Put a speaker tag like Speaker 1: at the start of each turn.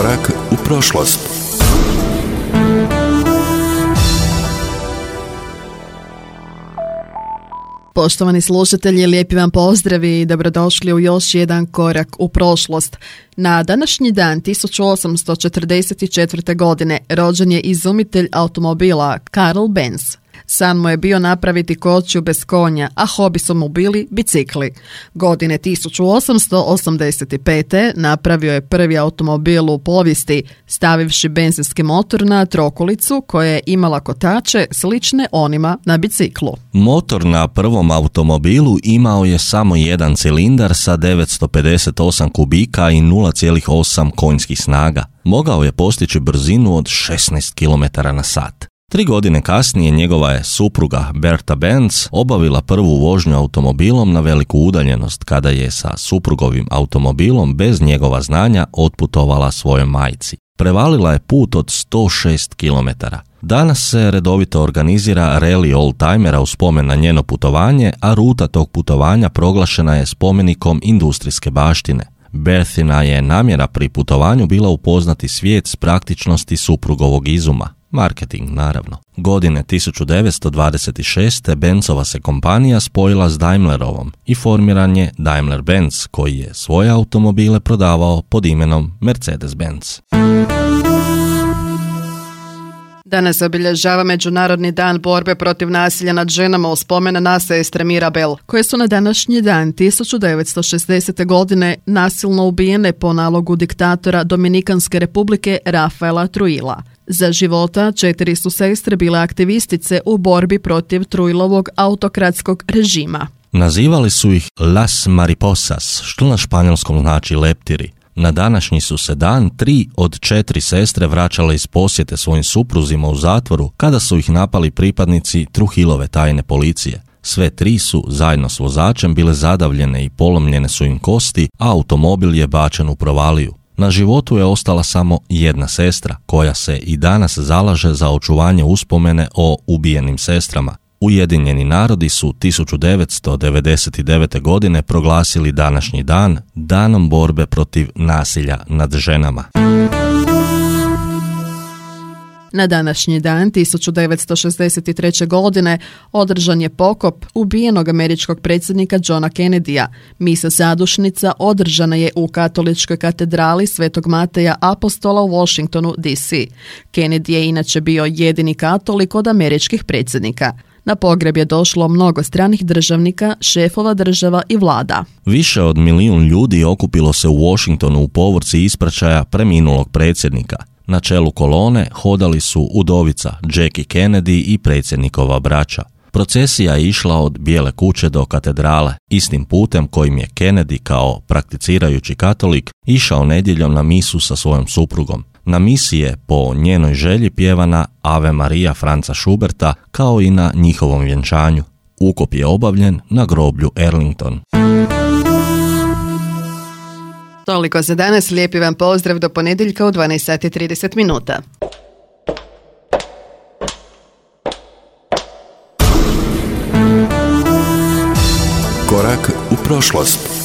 Speaker 1: Korak u prošlost.
Speaker 2: Poštovani slušatelji, lijepi vam pozdravi i dobrodošli u još jedan korak u prošlost. Na današnji dan 1844. godine rođen je izumitelj automobila Karl Benz. San mu je bio napraviti kočiju bez konja, a hobi su mu bili bicikli. Godine 1885. napravio je prvi automobil u povijesti, stavivši benzinski motor na trokolicu koja je imala kotače slične onima na biciklu.
Speaker 3: Motor na prvom automobilu imao je samo jedan cilindar sa 958 kubika i 0,8 konjskih snaga. Mogao je postići brzinu od 16 km/h. 3 godine kasnije njegova je supruga Bertha Benz obavila prvu vožnju automobilom na veliku udaljenost kada je sa suprugovim automobilom bez njegova znanja otputovala svojoj majci. Prevalila je put od 106 km. Danas se redovito organizira rally oldtimera u spomen na njeno putovanje, a ruta tog putovanja proglašena je spomenikom industrijske baštine. Berthina je namjera pri putovanju bila upoznati svijet s praktičnosti suprugovog izuma. Marketing, naravno. Godine 1926. Benzova se kompanija spojila s Daimlerovom i formiran je Daimler-Benz, koji je svoje automobile prodavao pod imenom Mercedes-Benz.
Speaker 2: Danas se obilježava Međunarodni dan borbe protiv nasilja nad ženama u spomen na sestre Mirabel, koje su na današnji dan 1960. godine nasilno ubijene po nalogu diktatora Dominikanske republike Rafaela Trujilla. Za života 4 su sestre bile aktivistice u borbi protiv Trujillovog autokratskog režima.
Speaker 3: Nazivali su ih Las Mariposas, što na španjolskom znači leptiri. Na današnji su se dan 3 od 4 sestre vraćale iz posjete svojim supruzima u zatvoru kada su ih napali pripadnici Trujillove tajne policije. Sve 3 su zajedno s vozačem bile zadavljene i polomljene su im kosti, a automobil je bačen u provaliju. Na životu je ostala samo jedna sestra, koja se i danas zalaže za očuvanje uspomene o ubijenim sestrama. Ujedinjeni narodi su 1999. godine proglasili današnji dan Danom borbe protiv nasilja nad ženama.
Speaker 2: Na današnji dan 1963. godine održan je pokop ubijenog američkog predsjednika Johna Kennedyja. Misa zadušnica održana je u katoličkoj katedrali Svetog Mateja Apostola u Washingtonu, D.C. Kennedy je inače bio jedini katolik od američkih predsjednika. Na pogreb je došlo mnogo stranih državnika, šefova država i vlada.
Speaker 3: Više od 1 milijun ljudi okupilo se u Washingtonu u povorci ispraćaja preminulog predsjednika. Na čelu kolone hodali su udovica Jackie Kennedy i predsjednikova braća. Procesija je išla od Bijele kuće do katedrale, istim putem kojim je Kennedy kao prakticirajući katolik išao nedjeljom na misu sa svojom suprugom. Na misi je po njenoj želji pjevana Ave Maria Franza Schuberta kao i na njihovom vjenčanju. Ukop je obavljen na groblju Arlington.
Speaker 2: Toliko za danas, lijepi vam pozdrav do ponedjeljka u 12:30.
Speaker 1: Korak u prošlost.